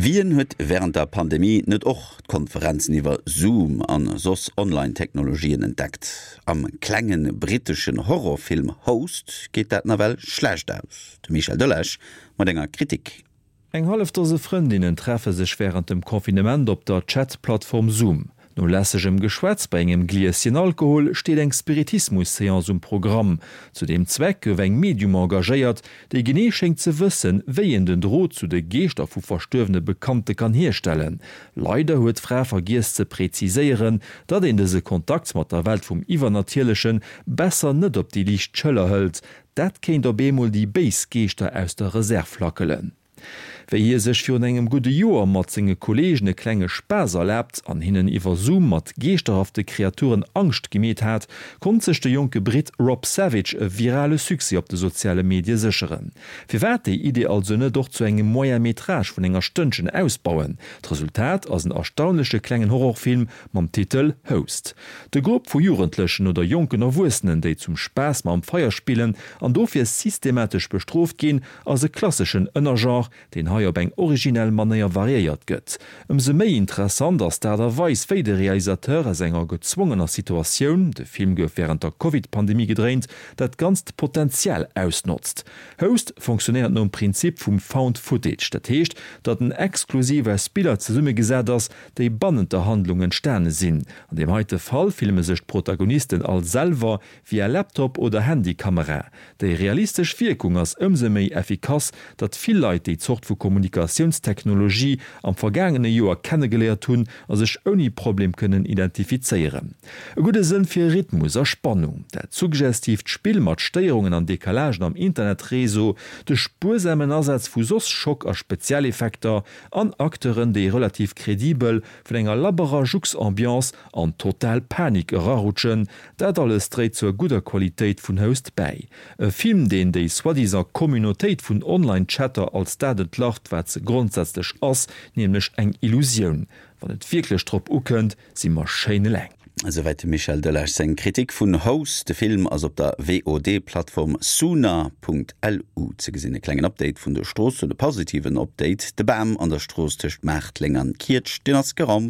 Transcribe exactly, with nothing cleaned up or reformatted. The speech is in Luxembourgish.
Wien huet während der Pandemie net och Konferenzen iwwer Zoom an soss Online-Technologien entdeckt. Am klengen britteschen Horrorfilm Host geet dat nawell schlecht aus. De Michel Delage mat enger Kritik. Eng hallef Dose Frëndinnen treffe sech während dem Confinement op der Chatplattform Zoom. No lässegem Geschwätz bei engem Glieschen Alkohol steet eng Spiritismus-Seance um Programm. Zu deem Zweck gouf eng Medium engagéiert, déi genee schéngt ze wëssen, wéi een den Drot zu de Geeschter vu verstuerwene Bekannte kann hierstellen. Leider huet d'Fra vergiess ze präziséieren, datt een dëse Kontakt mat der Welt vum Iwwernatierleche besser net op déi liicht Schëller hëlt. Dat kéint op eemol déi béis Geeschter aus der Reserv lackelen. Wéi hie sech virun engem gudde Joer mat senge Kolleegen e klenge Spaass erlaabt an hinnen iwwer Zoom mat geeschterhafte Kreaturen Angscht gemeet hat, konnt sech de jonke Britt Rob Savage e virale Succès op de soziale Medie sécheren. Firwat déi Idee also net och zu engem Moyen-métrage vun enger Stënnchen ausbauen? D'Resultat ass en erstaunleche klengen Horrorfilm mam Titel Host. De Grupp vu Jugendlechen oder jonken Erwuessenen, déi zum Spaass mam Feier spillen an dofir systematesch bestrooft ginn, ass e klasseschen Ënnergenre, deen hei op eng originell Manéier variéiert gëtt. Ëmsou méi interessant ass d'Aart a Weis, wéi de Realisateur aus enger gezwongener Situatioun, de Film gouf wärend der Covid-Pandemie gedréint, dat ganzt Potenzial ausnotzt. Host funktionéiert nom Prinzip vum Found Footage, dat heescht, datt en exklusiv aus Biller zesummegesat ass, déi bannent der Handlung entstane sinn. An deem heite Fall filme sech d'Protagonisten all selwer via Laptop oder Handykamera. Déi realistesch Wierkung ass ëmsou méi effikass, datt vill Leit déi Zort vu Kommunikatiounstechnologie am vergaangene Joer kennegeléiert hunn a sech ouni Problem kënnen identifizéieren. E gudde Sënn fir Rhythmus a Spannung, dat suggestiivt Spill mat Stéierungen an Decalagen am Internetreseau, de spuersamen Asaz vu soss Schock a Spezialeffekter an Acteuren, déi relativ kredibel vun enger labberer Jux-Ambiance an total Panik erarutschen, dat alles dréit zur gudder Qualitéit vun Host bäi. E Film, deen déi soi-disant Communautéit vun Online-Chatter als dat entlarvt, wat se grondsätzlech ass, nämlech eng Illusioun. Wann et wierklech drop ukënnt, si mer schéin eleng. Esouwäit dem Michel Delage seng Kritik vun Host. De Film ass op der V O D-Plattform Soona Punkt L U ze gesinn. E klengen Update vun de Stroossen, e positiven Update. De Bam an der Strooss tëscht Maartleng an Kietscht, deen ass geraumt.